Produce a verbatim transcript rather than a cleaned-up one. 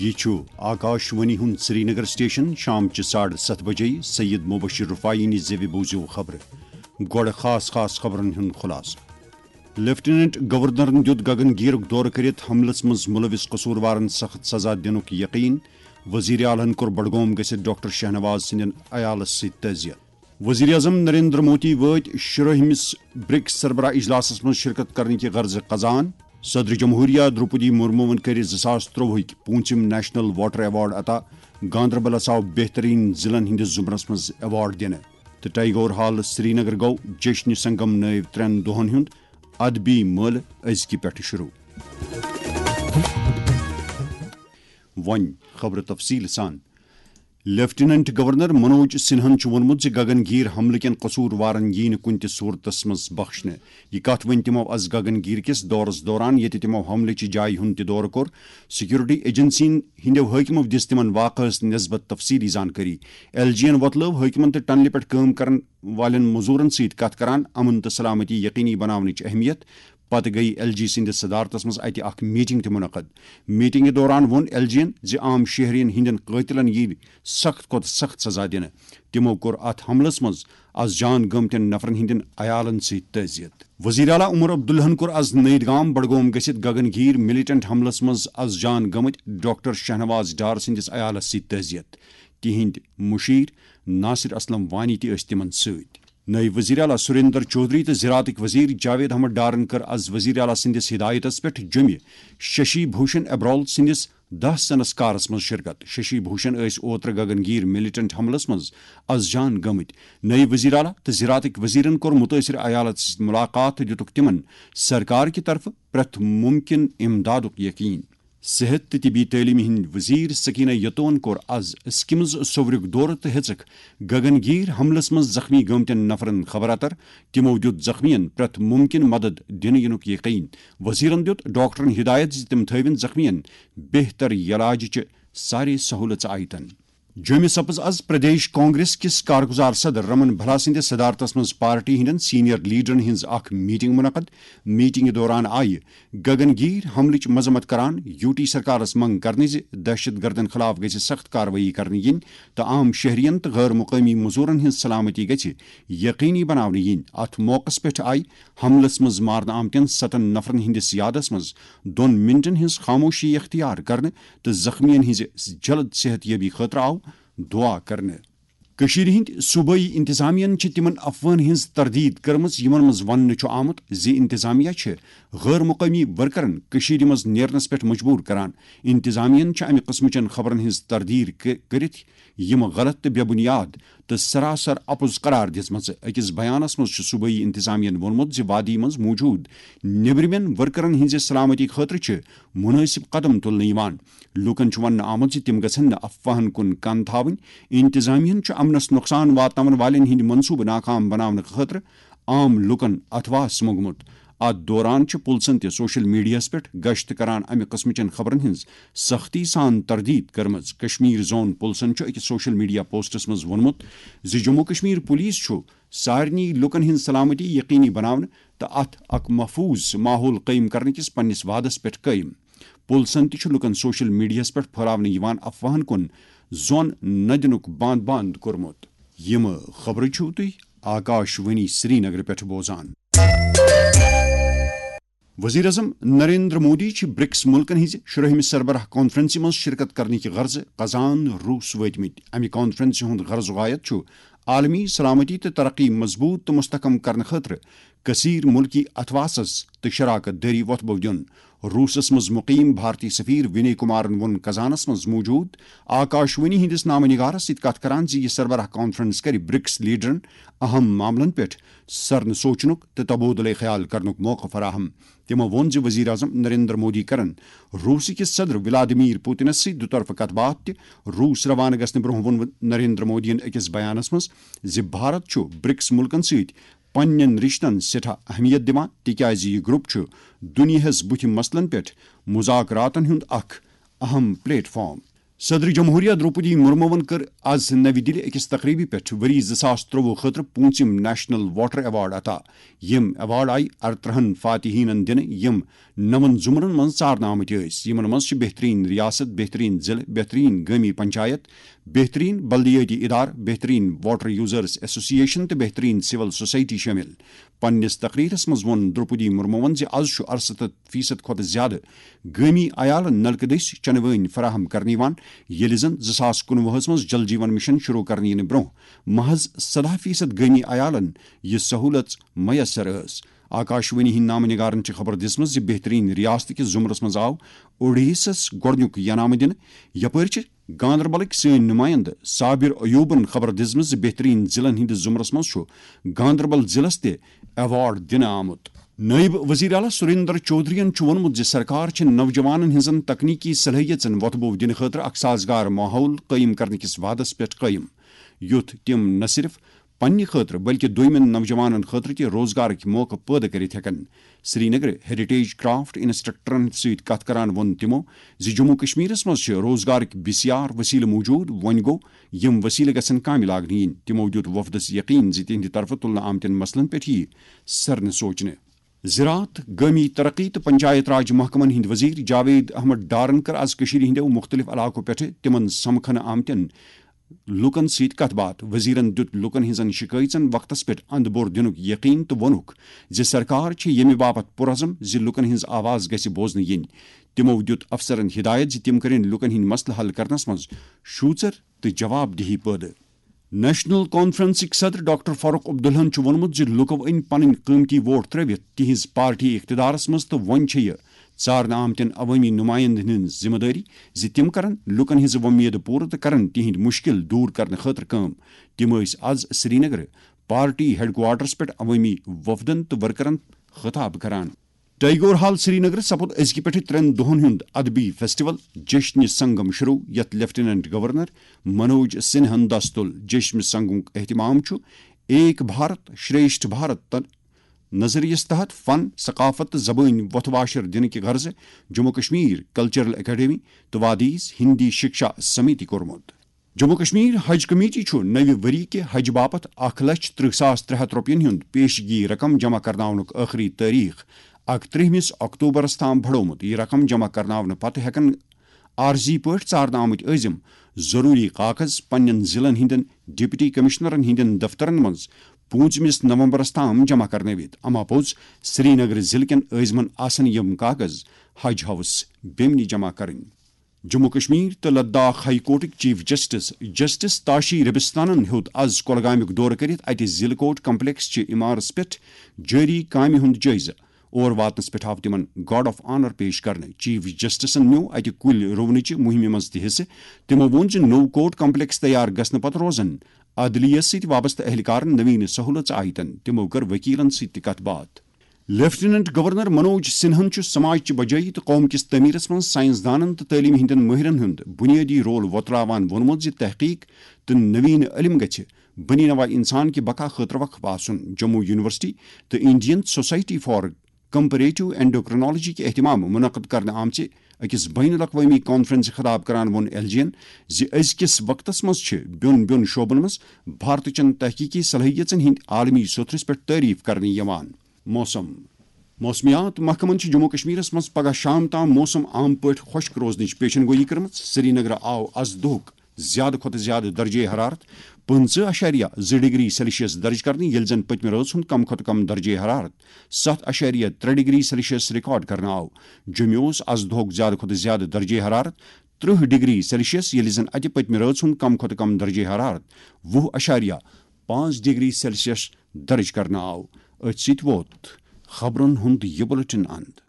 یہِ چھُ آکاش وانی ہُنٛد سرینگر سٹیشن۔ شام چہِ ساڑٕ ستھ بجے سید مبشر رفاعی نہِ زیوِ بوٗزِو خبرٕ۔ گۄڈٕ خاص خاص خبرن ہُنٛد خلاصہٕ۔ لیفٹیننٹ گورنرن دیُت گگن گیرُک دورٕ کٔرِتھ حملس منٛز مُلوِث قصوٗروارن سخت سزا دِنُک یقین۔ وزیر اعلیٰ ہن کوٚر بڈگوم گٔژھِتھ ڈاکٹر شاہنواز سٕنٛدٮ۪ن عیالس سۭتۍ تعزیت۔ وزیر اعظم نریندر مودی وٲتۍ شُرٲہمِس برکس سربراہ اجلاسس منٛز شرکت کرنہٕ کہِ غرضہٕ قزان۔ صدر جمہوریہ درٛوپدی مرموٗوَن کٔرۍ زٕ ساس ترٛۆوُہٕکۍ پوٗنٛژِم نیشنل واٹر ایوارڈ عطا۔ گاندربلس آو بہترین ضلعن ہٕنٛدِس زمرس منٛز ایوارڈ دِنہٕ۔ تہٕ ٹیگور ہال سرینگر گوٚو جشن سنگم نٲوۍ ترٛٮ۪ن دۄہن ہُنٛد ادبی مٲلہٕ أزکہِ پٮ۪ٹھٕ شروٗع۔ وۄنۍ خبرٕ تفصیٖل سان۔ لیفٹیننٹ گورنر منوج سنہاہن چھُ ووٚنمُت زِ گگن گیٖر حملہٕ کٮ۪ن قصوٗروارن یِیہِ نہٕ کُنہِ تہِ صوٗرتس منٛز بخشنہٕ۔ یہِ کتھ ؤنۍ تِمو از گگن گیٖر کِس دورس دوران، ییٚتہِ تِمو حملہٕ چہِ جایہِ ہُنٛد تہِ دورٕ کوٚر، سیکورٹی ایجنسین ہٕنٛدیو حٲکمو دِژ تِمن واقعس نسبت تفصیٖلی زانکٲری۔ ایل جی ین وۄتلٲو حٲکمن تہٕ ٹنلہِ پٮ۪ٹھ کٲم کرن والٮ۪ن مٔزوٗرن سۭتۍ کتھ کران امن تہٕ سلامتی یقینی بناونٕچ اہمیت۔ پتہٕ گٔیہِ ایل جی سٕنٛدِس صدارتس منٛز اتہِ اکھ میٹنگ تہِ منعقد۔ میٹنگہِ دوران ووٚن ایل جی ین زِ عام شہرین ہٕنٛدٮ۪ن قٲتلن یِیہِ سخت کھۄتہٕ سخت سزا دِنہٕ۔ تِمو کوٚر اتھ حملس منٛز از جان گٲمتٮ۪ن نفرن ہٕنٛدٮ۪ن عیالن سۭتۍ تعزیت۔ وزیر اعلیٰ عمر عبداللہن کوٚر از نٔید گام بڈگوم گٔژھِتھ گگن گیٖر ملیٹنٹ حملس منٛز از جان گٔمٕتۍ ڈاکٹر شاہنواز ڈار سٕنٛدِس عیالس سۭتۍ تعزیت۔ تِہنٛدۍ مُشیر ناصر اسلم وانی تہِ ٲسۍ تِمن سۭتۍ۔ نٲیِب وزیر اعلیٰ سریندر چودھری تہٕ زراعتٕکۍ وزیر جاوید احمد ڈارن کٔر از وزیر اعلیٰ سٕنٛدِس ہدایتس پٮ۪ٹھ جوٚمہِ ششی بھوشن ابرال سٕنٛدِس داہ سنسکارس منٛز شرکت۔ ششی بھوشن ٲسۍ اوترٕ گگن گیٖر ملیٹنٹ حملس منٛز از جان گٔمٕتۍ۔ نٲیِب وزیر اعلیٰ تہٕ زراعتٕکۍ وزیرن کوٚر مُتٲثر عیالن سۭتۍ مُلاقات تہٕ دِتُکھ تِمن سرکار کہِ طرفہٕ پرٛٮ۪تھ مُمکِن امدادُک یقین۔ صحت تہٕ طبی تعلیمہِ ہٕنٛدۍ وزیر سکینہ یتون کوٚر از سکمز سوورُک دورٕ تہٕ ہیٚژٕکھ گگن گیٖر حملس منٛز زخمی گٲمتٮ۪ن نفرن خبر اتر۔ تِمو دیُت زخمین پرٛٮ۪تھ مُمکِن مدد دِنہٕ یِنُک یقین۔ وزیرن دیُت ڈاکٹرن ہدایت زِ تِم تھٲوِن زخمین بہتر علاجٕچہِ سارے سہولژٕ آیتن۔ جوٚمہِ سپٕز از پردیش کانگریس کِس کارگزار صدر رمن بھلا سٕنٛدِس صدارتس منٛز پارٹی ہٕنٛدٮ۪ن سینئر لیڈرن ہٕنٛز اکھ میٹنگ منعقد۔ میٹنگہِ دوران آیہِ گگن گیٖر حملٕچ مذمت کران یوٗ ٹی سرکارس منٛگ کرنہٕ زِ دہشت گردن خلاف گژھِ سخت کاروٲیی کرنہٕ یِنۍ تہٕ عام شہرین تہٕ غٲر مقٲمی مٔزوٗرن ہٕنٛز سلامتی گژھِ یقینی بناونہٕ یِنۍ۔ اتھ موقعس پٮ۪ٹھ آیہِ حملس منٛز مارنہٕ آمتٮ۪ن ستن نفرن ہٕنٛدِس یادس منٛز دۄن منٹن ہٕنٛز خاموشی اختیار کرنہٕ تہٕ زخمیَن ہٕنٛزِ جلد صحت یابی خٲطرٕ آو دعا کرنہٕ۔ کٔشیٖرِ ہٕنٛدۍ صوبٲئی انتظامیہن چھِ تِمن افوہن ہٕنٛز تردید کٔرمٕژ، یِمن منٛز وننہٕ چھُ آمُت زِ انتظامیہ چھِ غٲر مقٲمی ورکرن کٔشیٖرِ منٛز نیرنس پٮ۪ٹھ مجبوٗر کران۔ انتظامیہن چھِ امہِ قٕسمٕچن خبرن ہٕنٛز تردید کٔ-، کٔرِتھ یِم غلط تہٕ بے بُنیاد تہٕ سراسر اپُز قرار دِژمَژٕ۔ أکِس بیانَس منٛز چھُ صوبٲئی انتظامیہَن ووٚنمُت زِ وادی منٛز موٗجوٗد نیبرِمٮ۪ن ورکرَن ہٕنٛزِ سلامتی خٲطرٕ چھِ مُنٲسِب قدم تُلنہٕ یِوان۔ لوٗکَن چھُ وننہٕ آمُت زِ تِم گژھن نہٕ افواہَن کُن کَن تھاوٕنۍ۔ انتظامیہَن چھُ امنَس نۄقصان واتناون والٮ۪ن ہٕنٛدۍ منصوٗبہٕ ناکام بناونہٕ خٲطرٕ عام لوٗکَن اتھواس موٚنگمُت۔ اتھ دوران چھِ پُلسَن تہِ سوشل میڈیاہَس پٮ۪ٹھ گشت کران امہِ قٕسمٕچٮ۪ن خبرَن ہٕنٛز سختی سان تردید کٔرمٕژ۔ کشمیر زون پُلسَن چھُ أکِس سوشل میڈیا پوسٹَس منٛز ووٚنمُت زِ جموں کشمیر پُلیٖس چھُ سارنٕے لوٗکَن ہٕنٛز سلامتی یقینی بناونہٕ تہٕ اتھ اکھ محفوظ ماحول قٲیِم کرنہٕ کِس پننِس وعدس پٮ۪ٹھ قٲیِم۔ پُلسَن تہِ چھُ لوٗکَن سوشل میڈیاہَس پٮ۪ٹھ پھٔہلاونہٕ یِوان افواہَن کُن زون نہ دِنُک بند بند کوٚرمُت۔ یِم خبرٕ چھِو تُہۍ آکاش وانی سرینگرٕ پٮ۪ٹھ بوزان۔ وزیر اعظم نریندر مودی چھِ برکس مُلکَن ہٕنٛزِ شُرٲہمہِ سربراہ کانفرنسہِ منٛز شرکت کرنٕکہِ غرضہٕ قزان روٗس وٲتمٕتۍ۔ امہِ کانفرنسہِ ہُنٛد غرض و غایت چھُ عالمی سلامتی تہٕ ترقی مضبوٗط تہٕ مستحکم کرنہٕ خٲطرٕ کثیر ملکی اتھواسس تہٕ شراکت دٲری وۄتھبو دیُن۔ روٗسس منٛز مُقیم بھارتی سفیر وِنے کُمارن ووٚن قزانس منٛز موٗجوٗد آکاشوانی ہٕنٛدِس نامہ نگارس سۭتۍ کتھ کران زِ یہِ سربراہ کانفرنس کرِ برکس لیڈرن اہم معاملن پٮ۪ٹھ سرنہٕ سوچنُک تہٕ تبادلہ خیال کرنُک موقعہٕ فراہم۔ تِمو ووٚن زِ وزیر اعظم نریندر مودی کرن روٗس کِس صدر ولادیمیر پوتنس سۭتۍ دُطرفہٕ کتھ باتھ تہِ۔ روٗس روانہٕ گژھنہٕ برٛونٛہہ ووٚن نریندر مودیَن أکِس بیانس منٛز زِ بھارت چھُ برکس مُلکن سۭتۍ پننٮ۪ن رشتن سٮ۪ٹھاہ اہمیت دِوان، تِکیازِ یہِ گروپ چھُ دُنیاہَس بُتھِ مسلن پٮ۪ٹھ مذاکراتن ہُنٛد اکھ اہم پلیٹ فارم۔ صدر جمہوریہ درٛوپدی مرموَن کٔر آز نَوِ دِلہِ أکِس تقریٖبہِ پٮ۪ٹھ ؤری زٕ ساس ترٛۆوُہ خٲطرٕ پوٗنٛژِم نیشنل واٹر ایوارڈ عطا۔ یِم ایوارڈ آیہِ اَرترٛہَن فاتحیٖنَن دِنہٕ، یِم نَوَن زُمرَن منٛز ژارنہٕ آمٕتۍ ٲسۍ۔ یِمَن منٛز چھِ بہتریٖن ریاست، بہتریٖن ضلعہٕ، بہتریٖن گٲمی پنچایت، بہتریٖن بلدیٲتی ادارٕ، بہتریٖن واٹر یوزرز ایسوسیشن تہٕ بہتریٖن سول سوسائٹی شٲمِل۔ پننِس تقریرس منٛز ووٚن درٛوپدی مرموَن زِ از چھُ اَرسَتَتھ فیصد کھۄتہٕ زیادٕ گٲمی عیالن نلکہٕ دٔسۍ چنہٕ وٲنۍ فراہم کرنہٕ یِوان، ییٚلہِ زن زٕ ساس کُنوُہَس منٛز جل جیون مشن شروع کرنہٕ یِنہٕ برٛونٛہہ محض سَداہ فیصد گٲمی عیالن یہِ سہولت میسر ٲس۔ آکاشوانی ہٕنٛدۍ نامہٕ نگارن چھِ خبر دِژمٕژ زِ بہتریٖن ریاست کِس زُمرس منٛز آو اوڈیسس گۄڈٕنیُک انعام دِنہٕ، یپٲرۍ چھِ گاندربلٕکۍ سٲنۍ نُمٲیندٕ صابر ایوبن خبر دِژمٕژ زِ بہتریٖن ضلعن ہٕنٛدِس زُمرس منٛز چھُ گاندربل ضلعس تہِ ایوارڈ دِنہٕ آمُت۔ نٲیِب وزیر اعلیٰ سریندر چودھرین چھُ ووٚنمُت زِ سرکار چھِ نوجوانن ہٕنٛزن تکنیکی صلٲحیژن وۄتھٕ بوٚو دِنہٕ خٲطرٕ اکھ سازگار ماحول قٲیِم کرنہٕ کِس وعدس پٮ۪ٹھ قٲیِم، یُتھ تِم نہ صرف پننہِ خٲطرٕ بلکہِ دوٚیمٮ۪ن نوجوانن خٲطرٕ تہِ روزگارٕکۍ موقعہٕ پٲدٕ کٔرِتھ ہٮ۪کن۔ سرینگر ہیریٹیج کرافٹ انسٹرکٹرن سۭتۍ کتھ کران ووٚن تِمو زِ جموں کشمیرس منٛز چھِ روزگارٕکۍ بسیار وسیلہٕ موجود، وۄنۍ گوٚو یِم وسیلہٕ گژھن کامہِ لاگنہٕ یِنۍ۔ تِمو دیُت وفدس یقین زِ تِہنٛدِ طرفہٕ تُلنہٕ آمتٮ۪ن مسلن پٮ۪ٹھ یِیہِ سرنہٕ سوچنہٕ۔ زراعت، گٲمی ترقی تہٕ پنچایت راج محکمن ہٕنٛدۍ وزیر جاوید احمد ڈارن کٔر از کٔشیٖرِ ہٕنٛدیو مُختٔلِف علاقو پٮ۪ٹھٕ تِمن سمکھنہٕ آمتٮ۪ن لوٗکن سۭتۍ کتھ باتھ۔ وزیرن دیُت لوٗکن ہٕنٛزن شِکٲیژن وقتس پٮ۪ٹھ اندٕ بوٚر دِنُک یقین تہٕ ووٚنُکھ زِ سرکار چھےٚ ییٚمہِ باپتھ پُرعزم زِ لوٗکن ہٕنٛز آواز گژھِ بوزنہٕ یِنۍ۔ تِمو دیُت افسرن ہدایت زِ تِم کرن لوٗکن ہٕنٛدۍ مسلہٕ حل کرنس منٛز شوٗژر تہٕ جواب دہی پٲدٕ۔ نیشنل کانفرنسٕکۍ صدر ڈاکٹر فاروق عبداللہن چھُ ووٚنمُت زِ لوٗکو أنۍ پنٕنۍ قۭمتی ووٹ ترٲوِتھ تِہنٛز پارٹی اقتدارس منٛز تہٕ وۄنۍ چھےٚ یہِ ژارنہٕ آمتٮ۪ن عوٲمی نُمایندن ہٕنٛز ذمہٕ دٲری زِ تِم کرن لوٗکن ہٕنٛز وۄمید پوٗرٕ تہٕ کرن تِہنٛدۍ مُشکِل دوٗر کرنہٕ خٲطرٕ کٲم۔ تِم ٲسۍ از سرینگرٕ پارٹی ہیڈکوارٹرس پٮ۪ٹھ عوٲمی وفدن تہٕ ورکرن خطاب کران۔ ٹیگور ہال سرینگرٕ سپُد أزکہِ پٮ۪ٹھٕ ترٛٮ۪ن دۄہن ہُنٛد ادبی فیسٹیول جشن سنگم شروع، یتھ لیفٹیننٹ گورنر منوج سنہن دستُل۔ جشن سنگمُک اہتمام چھُ ایک بھارت شریشٹھ بھارت تہٕ نظریس تحت فن، ثقافت تہٕ زبٲنۍ وۄتھٕ واشر دِنہٕ کہِ غرضہٕ جموں کشمیر کلچرل اکیڈمی تہٕ وادیز ہندی شکشا سمیتی کوٚرمُت۔ جموں کشمیر حج کمیٹی چھُ نوِ ؤری کہِ حج باپتھ اکھ لچھ ترٕٛہ ساس ترٛےٚ ہتھ رۄپین ہُنٛد پیشگی رقم جمع کرناونُک ٲخری تٲریخ اکترٛہمِس اکتوبرس تام بڑومُت۔ یہِ رقم جمع کرناونہٕ پتہٕ ہٮ۪کن عارضی پٲٹھۍ ژارنہٕ آمٕتۍ عٲزم ضروٗری کاغذ پننٮ۪ن ضلعن ہٕنٛدٮ۪ن ڈپٹی کمشنرن ہٕنٛدٮ۪ن دفترن منٛز پوٗنٛژمِس نومبرس تام جمع کرنٲوِتھ۔ اما پوٚز، سرینگر ضلعہٕ کٮ۪ن عٲزمن آسن یِم کاغذ حج ہاوس بیمنہِ جمع کرٕنۍ۔ جموں کشمیر تہٕ لداخ ہائی کورٹٕکۍ چیف جسٹس جسٹس تاشی ربستانن ہیوٚت از کۄلگامیُک دورٕ کٔرِتھ اتہِ ضلعہٕ کورٹ کمپلیکس چہِ عمارژ پٮ۪ٹھ جٲری کامہِ ہُنٛد جٲیزٕ۔ اور واتنس پٮ۪ٹھ آو تِمن گارڈ آف آنر پیش کرنہٕ۔ چیف جسٹسن نیوٗ اتہِ کُلۍ رُونٕچہِ مُہِمہِ منٛز تہِ حصہٕ۔ تِمو ووٚن زِ نوٚو کورٹ کمپلیکس تیار گژھنہٕ پتہٕ روزن عدلیہ سۭتۍ وابستہٕ اہلکارن نوین سہولژ آیتن۔ تِمو کٔر وکیلن سۭتۍ تہِ کتھ باتھ۔ لیفٹیننٹ گورنر منوج سنہن چھُ سماج چہِ بجٲیی تہٕ قوم کِس تعمیرس منٛز سائنسدانن تہٕ تعلیمہِ ہٕنٛدٮ۪ن مٲہرن ہُنٛد بُنیٲدی رول وۄتراوان ووٚنمُت زِ تحقیق تہٕ نوین علم گژھِ بنی نوع انسان کہِ بقا خٲطرٕ وقف آسُن۔ جموں یونیورسٹی تہٕ انڈین سوسائٹی فار کمپریٹو اینڈوکرینالوجی کہِ اہتمام منعقد کرنہٕ آمژِ أکِس بین الاقوٲمی کانفرنسہِ خطاب کران ووٚن ایل جی ین زِ أزکِس وقتس منٛز چھِ بیوٚن بیوٚن شعبن منٛز بھارتٕچن تحقیقی صلٲحیژن ہٕنٛدۍ عالمی سوٚتھرِس پٮ۪ٹھ تعریف کرنہٕ یِوان۔ موسم۔ موسمیات محکمن چھِ جموں کشمیرس منٛز پگہہ شام تام موسم عام پٲٹھۍ خۄشک روزنٕچ پیشن گویی کٔرمٕژ۔ سرینگرٕ آو از دۄہُک زیادٕ کھۄتہٕ زیادٕ درجے حرارت پٕنٛژٕہ اَشاریہ زٕ ڈگری سیلسیس درج کرنہٕ، ییٚلہِ زن پٔتمہِ رٲژ ہُنٛد کم کھۄتہٕ کم درجے حرارت ستھ اَشاریہ ترٛےٚ ڈگری سیلسیس ریکارڈ کرنہٕ آو۔ جوٚمہِ اوس از دۄہُک زیادٕ کھۄتہٕ زیادٕ درجے حرارت ترٕٛہ ڈگری سیلسیس، ییٚلہِ زن اتہِ پٔتمہِ رٲژ ہُنٛد کم کھۄتہٕ کم درجے حرارت وُہ اَشاریہ پانٛژھ ڈگری سیلسیس درج کرنہٕ آو۔ أتھۍ سۭتۍ ووت خبرن ہُنٛد یہِ بُلٹن اند۔